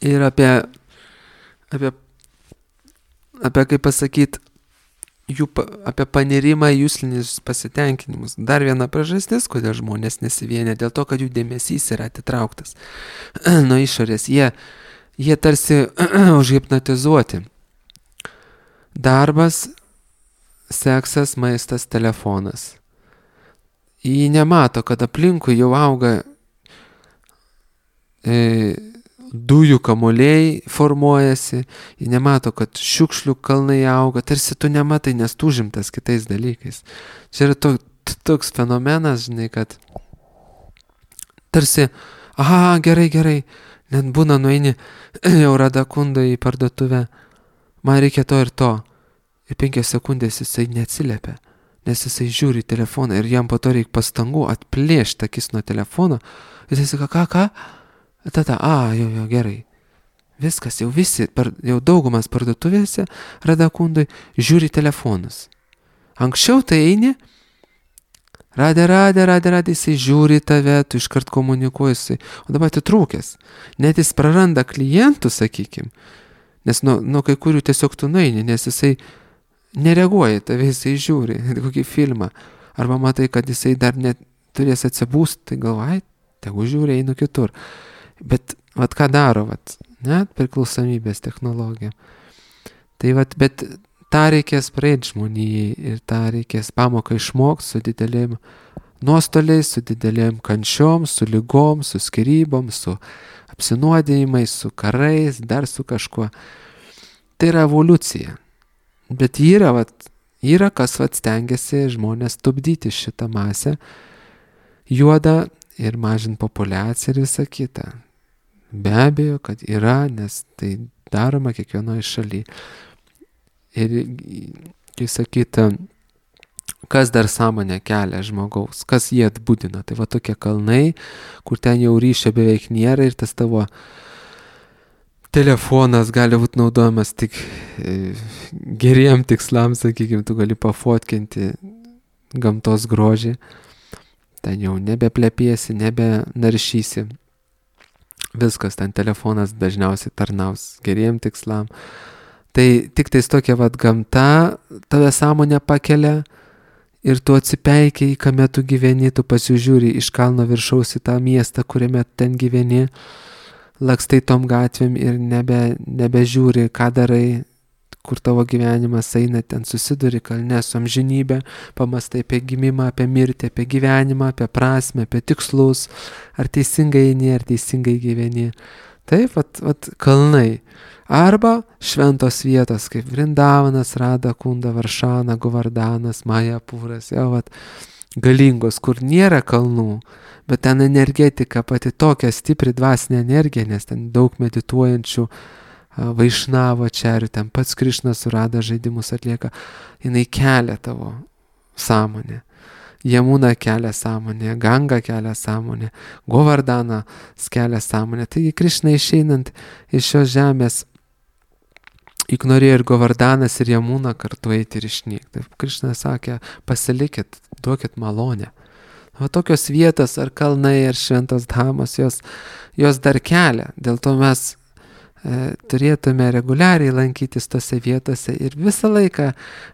ir apie, apie, apie kaip pasakyti, jų, apie panirimą į jūslinius pasitenkinimus. Dar viena priežastis, kodėl žmonės nesivienia, dėl to, kad jų dėmesys yra atitrauktas nuo išorės. Jie, jie tarsi užhipnotizuoti. Darbas, seksas, maistas, telefonas. Jie nemato, kad aplinkui jau auga e, dujų kamuoliai formuojasi, jie nemato, kad šiukšlių kalnai auga, tarsi tu nematai, nes tu užimtas kitais dalykais. Čia yra to, toks fenomenas, žinai, kad tarsi, aha, gerai, gerai, net būna nueini jau Radakundo į parduotuvę, man reikia to ir to, ir penkias sekundės jisai neatsiliepia, nes jisai žiūri į telefoną ir jam po to reikia pastangų atplėšti akis nuo telefono, ir jisai sako, ką, ką? Tada, a, jau, jau, gerai. Viskas, jau visi, par, jau daugumas parduotuvėse Radakundui žiūri telefonus. Anksčiau tai eini, radė, radė, radė, radė, jisai žiūri tave, tu iškart komunikuoji, o dabar atitrūkęs. Net jis praranda klientų, sakykim, nes nuo, nuo kai kurių tiesiog tu nueini, nes jisai nereaguoja, tave jisai žiūri, kokį filmą. Arba matai, kad jisai dar net turės atsibūst, tai galvai, tegu žiūri, einu kitur. Bet, vat ką daro, vat, net priklausomybės technologija. Tai vat, bet tą reikės praeiti žmonijai ir tą reikės pamoką išmokti su didelėm nuostoliais, su didelėm kančiom, su lygom, su skyrybom, su apsinuodėjimais, su karais, dar su kažkuo. Tai yra evoliucija. Bet yra, vat, yra kas vat stengiasi žmonės tupdyti šitą masę, juodą ir mažinti populiaciją ir visą kitą. Be abejo, kad yra, nes tai daroma kiekvienoje šalyje. Ir, kaip sakyta, kas dar sąmonę kelia žmogaus, kas jie atbudina. Tai va tokie kalnai, kur ten jau ryšio beveik nėra ir tas tavo telefonas gali būti naudojamas tik e, geriem tikslams, sakykime, tu gali pafotkinti gamtos grožį. Ten jau nebeplepėsi, nebenaršysi. Viskas, ten telefonas dažniausiai tarnaus geriem tikslam. Tai tik tais tokia vat gamta tave sąmonę pakelia ir tu atsipeikiai, kame tu gyveni, tu pasižiūri iš kalno viršaus į tą miestą, kuriame ten gyveni, lakstai tom gatvėm ir nebe, nebežiūri, ką darai, kur tavo gyvenimas eina, ten susiduri kalne su amžinybė, pamastai apie gimimą, apie mirtį, apie gyvenimą, apie prasmę, apie tikslus, ar teisingai eini, ar teisingai gyveni. Taip, vat, vat kalnai. Arba šventos vietos, kaip Vrindavanas, Radakunda, Varšana, Govardanas, Majapūras, jau vat galingos, kur nėra kalnų, bet ten energetika pati tokia stipri dvasinė energija, nes ten daug medituojančių Vaišnavo čerių, ten pats Krišnas surada žaidimus atlieka, jinai kelia tavo sąmonę. Jamuna kelia sąmonę, Ganga kelia sąmonę, Govardana kelia sąmonę. Taigi Krišna išeinant iš šios žemės, juk norėjo ir Govardanas, ir Jamuna kartu eiti ir išnykti. Krišna sakė, pasilikit, duokit malonę. O tokios vietos, ar kalnai, ar šventos dhamos, jos, jos dar kelia. Dėl to mes e, turėtume reguliariai lankytis tose vietose ir visą laiką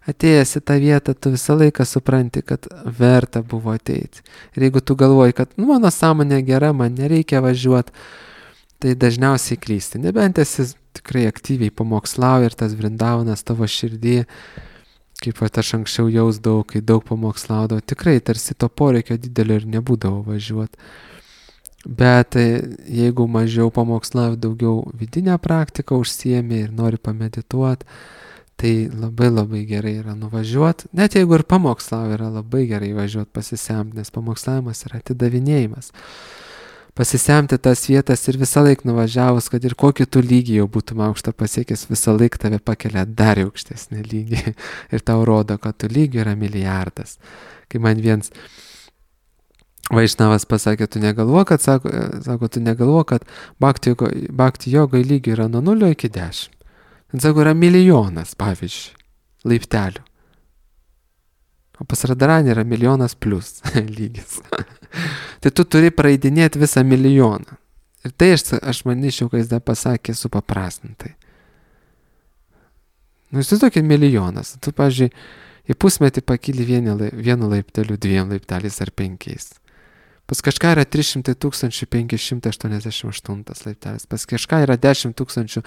atėjęs į tą vietą, tu visą laiką supranti, kad verta buvo ateiti. Ir jeigu tu galvoji, kad nu, mano sąmonė gera, man nereikia važiuoti, tai dažniausiai klysti. Nebent esi tikrai aktyviai pamokslauji ir tas Vrindavanas tavo širdį, kaip pat aš anksčiau jausdavau, kai daug pamokslaudavau, tikrai tarsi to poreikio didelio ir nebūdavo važiuoti. Bet jeigu mažiau pamokslauji, daugiau vidinę praktiką užsiemi ir nori pamedituoti, tai labai labai gerai yra nuvažiuoti. Net jeigu ir pamokslauji, yra labai gerai važiuoti pasisemti, nes pamokslavimas yra atidavinėjimas. Pasisemti tas vietas ir visą laiką nuvažiavus, kad ir kokį tu lygį jau būtum aukštą pasiekęs, visą laiką tave pakelia dar aukštesnį lygį ir tau rodo, kad tu lygių yra milijardas. Kai man viens Vaišnavas pasakė, tu negalvo, kad, sako, sako tu negalvo, kad bhakti, bhakti jogai lygių yra nuo nulio iki dešimt. Sako, yra milijonas, pavyzdžiui, laiptelių. O pas Radharanį yra milijonas plus lygis. Tai tu turi praeidinėti visą milijoną. Ir tai aš, aš manyčiau, kai jis dar pasakė supaprastintai. Nu, jis tokį milijonas. Tu, pavyzdžiui, į pusmetį pakyli vienu, vienu laipteliu, dviem laipteliais ar penkiais. Pas kažką yra trys šimtai tūkstančių penki šimtai aštuoniasdešimt aštuntas laiptelis. Pas kažką yra dešimt tūkstančių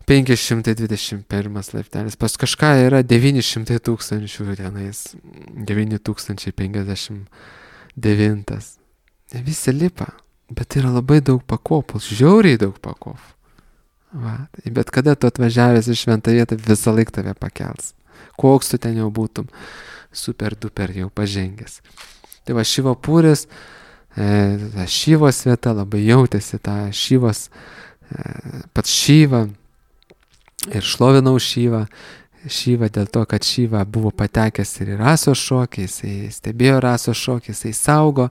penki šimtai dvidešimt pirmas laiptelis. Pas kažką yra devyni šimtai tūkstančių tenais. devyni tūkstančiai penkiasdešimt devintas. Visi lipa, bet yra labai daug pakopų, žiauriai daug pakopų. Va, bet kada tu atvažiavęs į šventą vietą, visą laiką tave pakels. Koks tu ten jau būtum, super duper jau pažengęs. Tai va, Šivo Puris, e, Šivos vieta, labai jautėsi tą Šivos, e, pats Šyva ir šlovinau Šyvą. Šyva dėl to, kad Šyva buvo patekęs ir į rasos šokį, jisai stebėjo rasos šokį, jisai saugo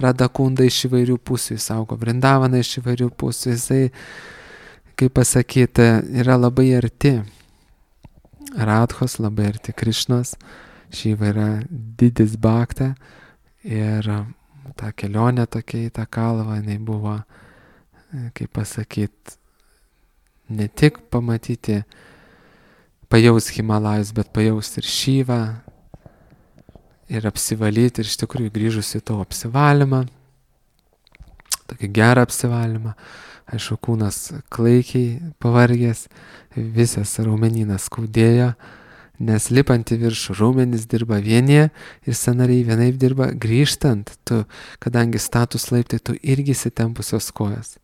Radhakundą iš įvairių pusių, jis saugo Vrindavaną iš įvairių pusių, jisai, kaip pasakyti, yra labai arti Radhos, labai arti Krišnos. Šyva yra didis bhakta ir ta kelionė tokia į tą kalvą, jinai buvo, kaip pasakyti, ne tik pamatyti, pajaus Himalajus, bet pajaus ir Šyvą ir apsivalyti ir iš tikrųjų grįžus į to apsivalymą, tokį gerą apsivalymą. Aišku, kūnas klaikiai pavargęs, visas raumenynas skaudėjo, nes lipant į viršų raumenys dirba vienie ir sąnariai vienaip dirba, grįžtant, tu, kadangi status laiptai, tu irgi įsitempusios kojas.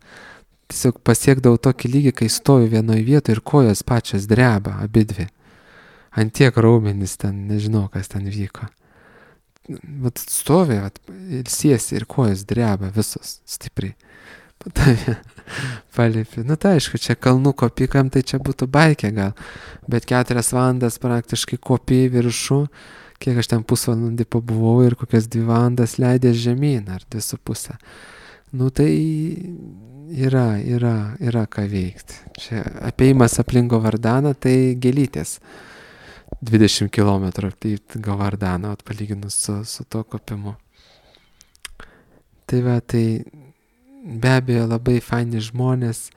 Tiesiog pasiekdavau tokį lygį, kai stoju vienoje vietoje ir kojos pačios dreba, abidvi. Ant tiek raumenys ten, nežinau, kas ten vyko. Vat stovi, vat, ilsiesi ir kojos dreba visos stipriai. Patavė, palipi. Nu tai aišku, čia kalnų kopikam, tai čia būtų baikė gal. Bet keturias valandas praktiškai kopi į viršų, kiek aš ten pusvalandį pabuvau ir kokias dvi valandas leidės žemyn, ar dvi su pusę. Nu tai yra, yra, yra ką veikti. Čia apėjimas aplink Govardaną, tai gėlytės. dvidešimt kilometrų tai Govardaną, palyginus su, su to kopimu. Tai va, tai be abejo labai faini žmonės,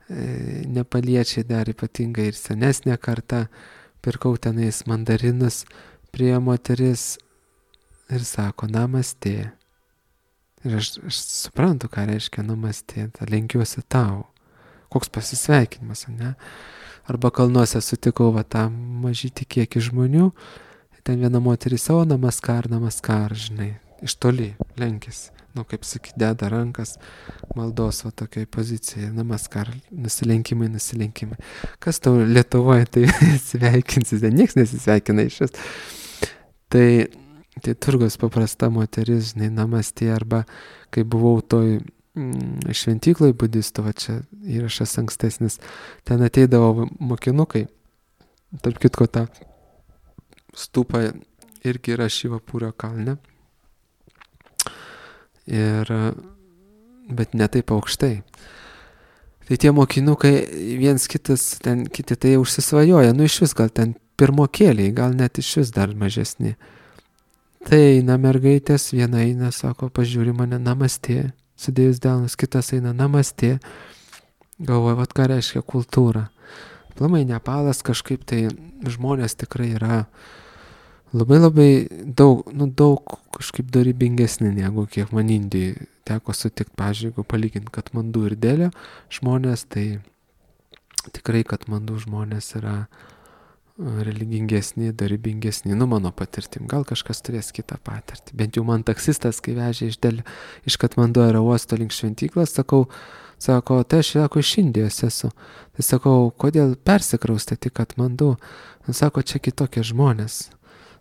e, nepaliečiai dar ypatingai ir senesnė karta. Pirkau tenais mandarinus, prie moteris ir sako, namaste. Ir aš, aš suprantu, ką reiškia namastė, lenkiuosi tau. Koks pasisveikinimas, ne? Arba kalnuose sutikau va tą mažytį kiekį žmonių, ten viena moteris savo namaskar, namaskar, žinai, iš toli lenkėsi. Nu, kaip sakyt, deda rankas maldos va tokiai pozicijai, namaskar, nusilenkimai, nusilenkimai. Kas tau Lietuvoje tai sveikinsis, nieks nesisveikina iš vis. Tai tai turgus paprasta moteris, žinai, namastė, arba kai buvau toj mm, šventykloj budistų, va čia įrašas ankstesnis, ten ateidavo mokinukai, tarp kitko tą stupą irgi yra Šivapūrio kalne, ir, bet ne taip aukštai. Tai tie mokinukai viens kitas, ten kiti tai užsisvajoja, nu iš vis gal ten pirmokėliai, gal net iš vis dar mažesni. Tai eina mergaitės, viena eina, sako, pažiūri mane, namastė, sudėjus delnus, kitas eina, namastė, galvoja, vat ką reiškia kultūra. Plamai Nepalas kažkaip tai žmonės tikrai yra labai labai daug, nu daug kažkaip dorybingesni negu kiek man Indijai teko sutikti, pavyzdžiui, jeigu palyginti Katmandu ir Delio žmonės, tai tikrai Katmandu žmonės yra religingesni, dorybingesni, nu mano patirtim, gal kažkas turės kitą patirtį. Bent jau man taksistas, kai vežė iš Delio, iš Katmandu aerouosto link šventyklos, sakau, sako, tai aš sako, iš Indijos esu. Tai sakau, kodėl persikraustėte į Katmandu? Sako, čia kitokie žmonės.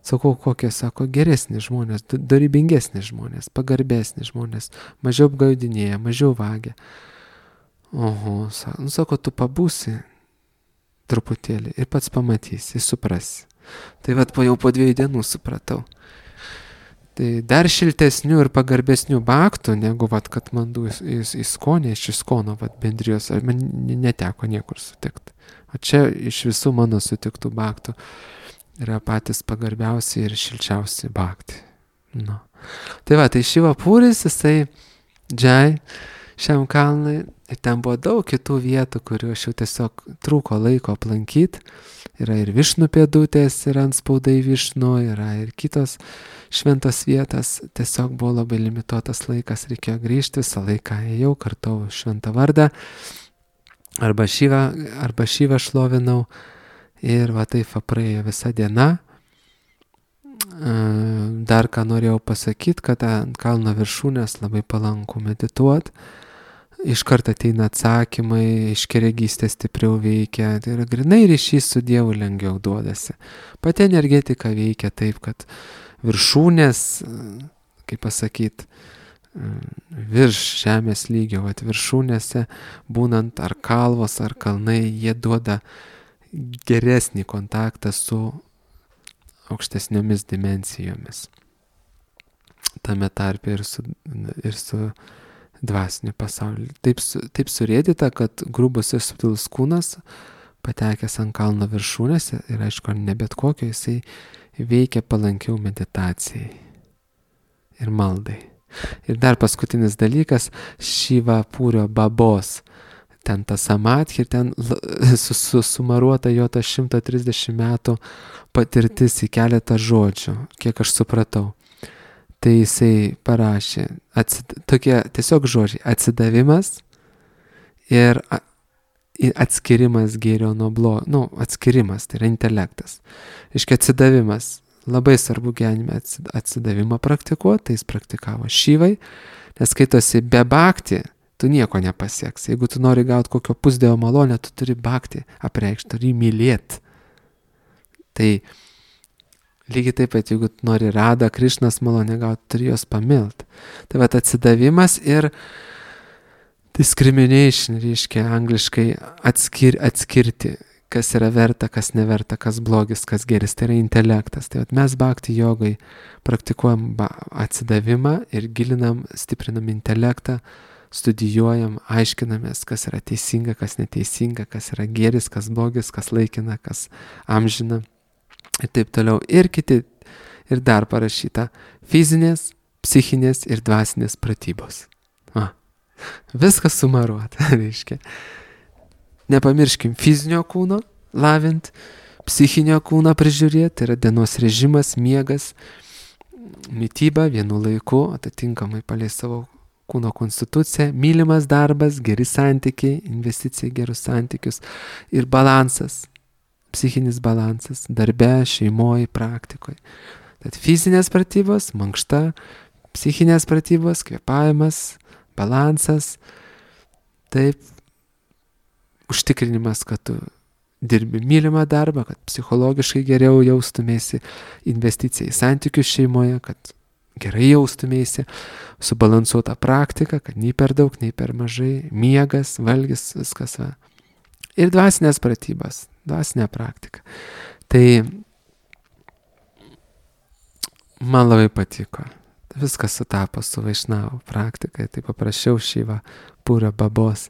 Sakau, kokie, sako, geresni žmonės, dorybingesni žmonės, pagarbesni žmonės, mažiau apgaudinėja, mažiau vagia. Oho, sako, nu, sako, tu pabūsi truputėlį ir pats pamatysi, suprasi. Tai vat po jau po dviejų dienų supratau. Tai dar šiltesnių ir pagarbesnių baktų, negu vat Katmandu į, į Skonę, iš Iskono vat bendrijos, man neteko niekur sutikti. O čia iš visų mano sutiktų baktų yra patys pagarbiausi ir šilčiausi bakti. Nu. Tai va, tai Šivapūris, jisai džiai šiam kalnui, ir ten buvo daug kitų vietų, kurių aš jau tiesiog trūko laiko aplankyti. Yra ir Višnų pėdutės, yra antspaudai Višnų, yra ir kitos šventos vietos. Tiesiog buvo labai limituotas laikas, reikėjo grįžti, visą laiką ėjau, kartau šventą vardą, arba Šivą, arba Šivą šlovinau. Ir va taip praėjo visa diena. Dar ką norėjau pasakyti, kad ant kalno viršūnės labai palanku medituot. Iš karto ateina atsakymai, iškeregystė stipriau veikia. Tai yra grinai ryšys su Dievu lengviau duodasi. Pati energetika veikia taip, kad viršūnės, kaip pasakyti, virš žemės lygio, vat viršūnėse, būnant ar kalvos, ar kalnai, jie duoda geresnį kontaktą su aukštesniomis dimensijomis. Tame tarpe ir su, ir su dvasiniu pasauliu. Taip, taip surėdyta, kad grubus ir subtilus kūnas, patekęs ant kalno viršūnėse, ir aišku, ne bet kokio, jisai veikia palankiau meditacijai ir maldai. Ir dar paskutinis dalykas, Šivapūrio babos. Ten ta samadhi, ten susumaruota jo ta šimtas trisdešimt metų patirtis į keletą žodžių, kiek aš supratau. Tai jisai parašė, atsid, tokie tiesiog žodžiai, atsidavimas ir atskirimas gėrio nuo blogio, nu, atskirimas, tai yra intelektas. Iškia atsidavimas, labai svarbu gyvenime atsidavimą praktikuoti, tai jis praktikavo Šivai, nes skaitosi be bhakti, tu nieko nepasieks. Jeigu tu nori gauti kokio pusdievo malonę, tu turi bhakti apreikšti, turi mylėti. Tai lygiai taip pat, jeigu tu nori Radą, Krišnos malonę gauti, turi jos pamilti. Tai vat atsidavimas ir discrimination, reiškia angliškai atskir, atskirti, kas yra verta, kas neverta, kas blogis, kas geris. Tai yra intelektas. Tai vat mes bhakti jogai praktikuojam atsidavimą ir gilinam, stiprinam intelektą, studijuojam, aiškinamės, kas yra teisinga, kas neteisinga, kas yra gėris, kas blogis, kas laikina, kas amžina ir taip toliau. Ir kiti, ir dar parašyta fizinės, psichinės ir dvasinės pratybos. Va. Viskas sumaruota, reiškia. Nepamirškim fizinio kūno lavint, psichinio kūno prižiūrėti, tai yra dienos režimas, miegas, mityba vienu laiku, atitinkamai palei savo kūno konstitucija, mylimas darbas, geri santykiai, investicija į gerus santykius ir balansas, psichinis balansas, darbe, šeimoje, praktikoje. Tad fizinės pratybos, mankšta, psichinės pratybos, kvėpavimas, balansas, taip, užtikrinimas, kad tu dirbi mylimą darbą, kad psichologiškai geriau jaustumėsi, investicija į santykius šeimoje, kad gerai jaustumėsi, subalansuota praktika, kad nei per daug, nei per mažai, miegas, valgis, viskas va. Ir dvasinės pratybas, dvasinė praktika. Tai man labai patiko. Viskas sutapo su Vaišnavų praktika, tai paprašiau šyvą pūrą babos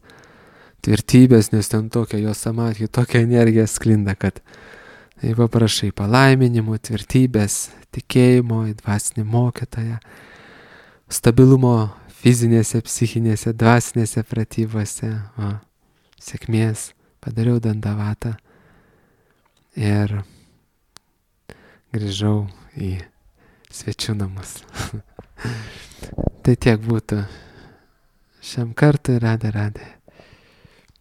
tvirtybės, nes ten tokia jo samadhi, tokia energija sklinda, kad tai paprašai palaiminimų, tvirtybės, tikėjimo, į dvasinį mokytoją, stabilumo fizinėse, psichinėse, dvasinėse pratybose, o, sėkmės, padariau dandavatą ir grįžau į svečių namus. Tai tiek būtų šiam kartui, radė, radė.